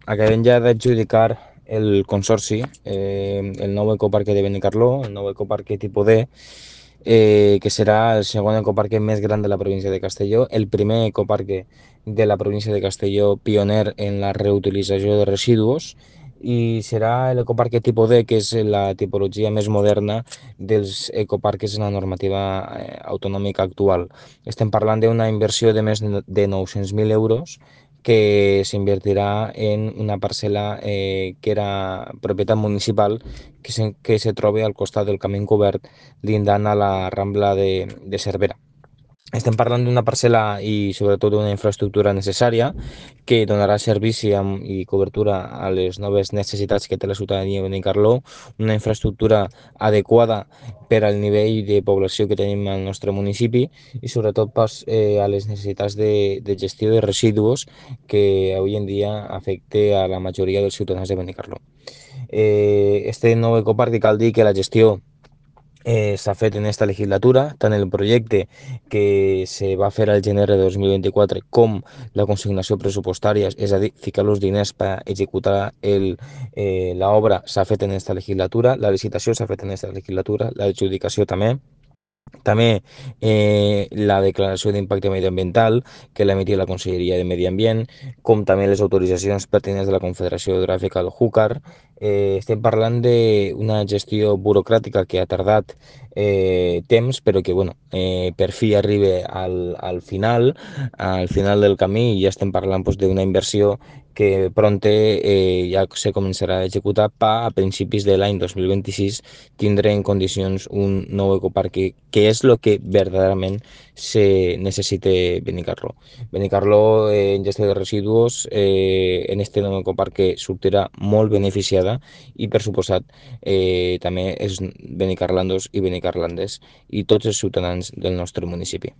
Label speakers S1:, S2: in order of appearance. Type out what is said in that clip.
S1: acabem ja d'adjudicar el consorci, el nou ecoparque de Benicarló, el nou ecoparque tipus D, que serà el segon ecoparque més gran de la província de Castelló, el primer ecoparque de la província de Castelló pioner en la reutilització de residus, i serà l'ecoparque tipus D, que és la tipologia més moderna dels ecoparques en la normativa autonòmica actual. Estem parlant d'una inversió de més de 900.000 euros que s'invertirà en una parcel·la que era propietat municipal que se troba al costat del camí encobert lindant a la Rambla de Cervera. Estem parlant d'una parcel·la i sobretot d'una infraestructura necessària que donarà servici i cobertura a les noves necessitats que té la ciutadania de Benicarló, una infraestructura adequada per al nivell de població que tenim al nostre municipi i sobretot pas, a les necessitats de gestió de residus que avui en dia afecta a la majoria dels ciutadans de Benicarló. Este nou ecoparc cal dir que la gestió s'ha fet en esta legislatura, tant el projecte que se va fer al gener de 2024 com la consignació pressupostària, és a dir, ficar els diners per executar l'obra s'ha fet en esta legislatura, la licitació s'ha fet en esta legislatura, l'adjudicació també. També la declaració d'impacte mediambiental que l'ha emitit la Conselleria de Medi Ambient, com també les autoritzacions pertinents de la Confederació Hidrogràfica del Júcar. Estem parlant d'una gestió burocràtica que ha tardat temps, però que bueno, per fi arriba al final del camí, i ja estem parlant pues, d'una inversió que pronte ja se començarà a executar a principis de l'any 2026 tindre en condicions un nou ecoparc que és el que verdaderament se necessita Benicarló. Benicarló en gestió de residus en este nou ecoparc que sortirà molt beneficiada i per suposat també els benicarlandos i benicarlandes i tots els ciutadans del nostre municipi.